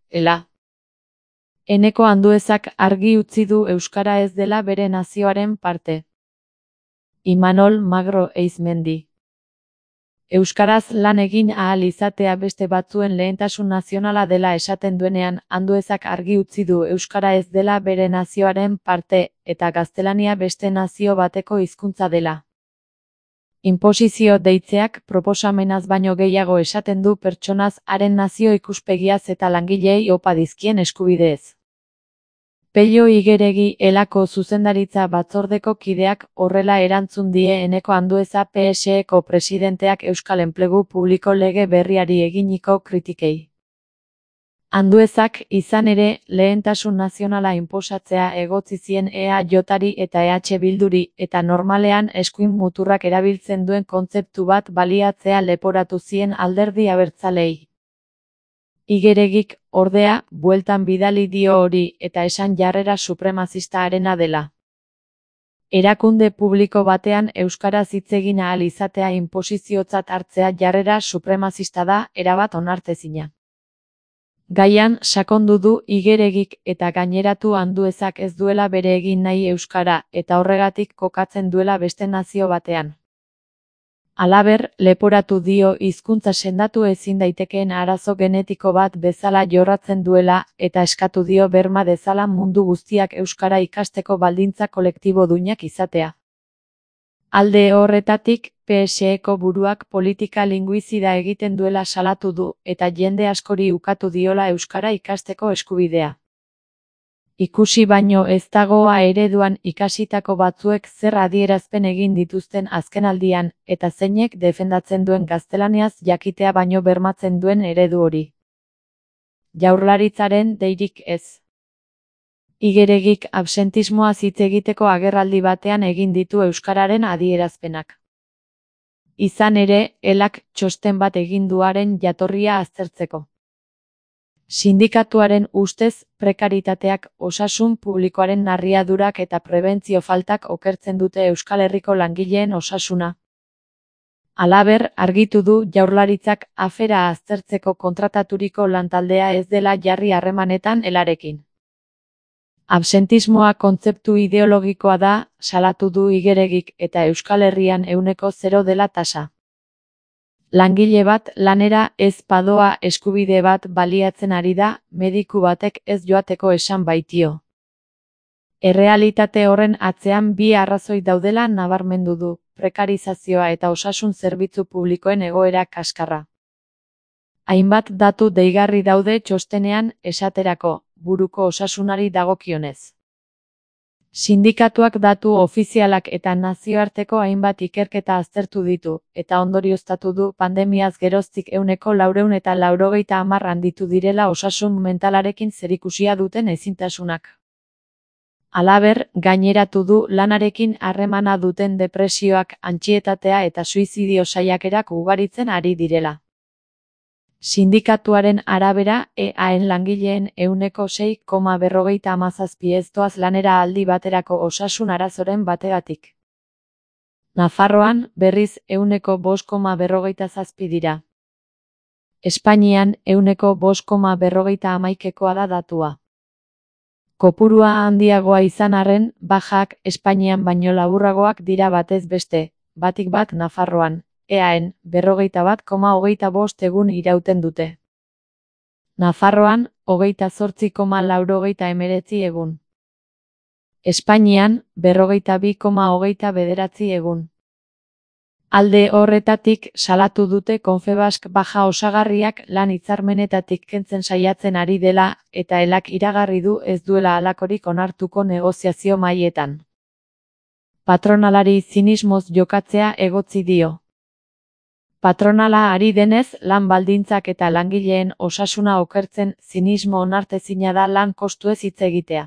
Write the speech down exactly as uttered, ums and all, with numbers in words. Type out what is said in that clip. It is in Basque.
ela. Eneko Anduezak argi utzi du euskara ez dela bere nazioaren parte. Imanol Magro Eizmendi. Euskaraz lan egin ahal izatea beste batzuen lehentasun nazionala dela esaten duenean, Anduezak argi utzi du euskara ez dela bere nazioaren parte, eta gaztelania beste nazio bateko hizkuntza dela. Inposizio deitzeak proposamenaz baino gehiago esaten du pertsonaz, haren nazio ikuspegiaz eta langileei opa dizkien eskubideez. Pello Igeregi elako zuzendaritza batzordeko kideak horrela erantzun die Eneko Andueza P S Eko presidenteak Euskal Enplegu Publiko lege berriari eginiko kritikei. Anduezak, izan ere, lehentasun nazionala inposatzea egotzi zien E A Jari eta E H Bilduri, eta normalean eskuin muturrak erabiltzen duen kontzeptu bat baliatzea leporatu zien alderdi abertzalei. Igeregik, ordea, bueltan bidali dio hori, eta esan jarrera supremazista harena dela. Erakunde publiko batean euskaraz hitz egin ahal izatea inposiziotzat hartzea jarrera supremazista da, erabat onartezina. Gaian, sakondu du Igeregik eta gaineratu Anduezak ez duela bere egin nahi euskara, eta horregatik kokatzen duela beste nazio batean. Halaber, leporatu dio hizkuntza sendatu ezin daitekeen arazo genetiko bat bezala jorratzen duela, eta eskatu dio berma dezala mundu guztiak euskara ikasteko baldintza kolektibo duinak izatea. Alde horretatik, P S Eko buruak politika linguizida egiten duela salatu du, eta jende askori ukatu diola euskara ikasteko eskubidea. Ikusi baino ez dagoa ereduan ikasitako batzuek zer adierazpen egin dituzten azkenaldian, eta zeinek defendatzen duen gaztelaniaz jakitea baino bermatzen duen eredu hori. Jaurlaritzaren deirik ez. Igeregik absentismoaz hitz egiteko agerraldi batean egin ditu euskararen adierazpenak. Izan ere, elak txosten bat egin duaren jatorria aztertzeko. Sindikatuaren ustez, prekaritateak, osasun publikoaren narriadurak eta prebentzio faltak okertzen dute Euskal Herriko langileen osasuna. Halaber, argitu du Jaurlaritzak afera aztertzeko kontrataturiko lantaldea ez dela jarri harremanetan elarekin. Absentismoa kontzeptu ideologikoa da, salatu du Igeregik, eta Euskal Herrian ehuneko zero dela tasa. Langile bat lanera ez padoa eskubide bat baliatzen ari da, mediku batek ez joateko esan baitio. Errealitate horren atzean bi arrazoi daudela nabarmendu du, prekarizazioa eta osasun zerbitzu publikoen egoera kaskarra. Hainbat datu deigarri daude txostenean, esaterako, buruko osasunari dagokionez. Sindikatuak datu ofizialak eta nazioarteko hainbat ikerketa aztertu ditu, eta ondorioztatu du pandemiaz geroztik ehuneko laurehun eta laurogeita hamar handitu direla osasun mentalarekin zerikusia duten ezintasunak. Halaber, gaineratu du lanarekin harremana duten depresioak, antsietatea eta suizidio saiakerak ugaritzen ari direla. Sindikatuaren arabera, E Aen langileen ehuneko sei koma berrogeita hamazazpi ez doaz lanera aldi baterako osasun arazoren bategatik. Nafarroan, berriz, ehuneko bost koma berrogeita zazpi dira. Espainian, ehuneko bost koma berrogeita hamaikekoa da datua. Kopurua handiagoa izan arren, bajak Espainian baino laburragoak dira batez beste, batik bat Nafarroan. E Aen, berrogeita bat koma hogeita bost egun irauten dute. Nafarroan, hogeita zortzi koma laurogeita emeretzi egun. Espainian, berrogeita bi koma hogeita bederatzi egun. Alde horretatik, salatu dute Confebask baja osagarriak lan hitzarmenetatik kentzen saiatzen ari dela, eta elak iragarri du ez duela halakorik onartuko negoziazio mahaietan. Patronalari zinismoz jokatzea egotzi dio. Patronala ari denez, lan baldintzak eta langileen osasuna okertzen, zinismo onartezina da lan kostuez hitz egitea.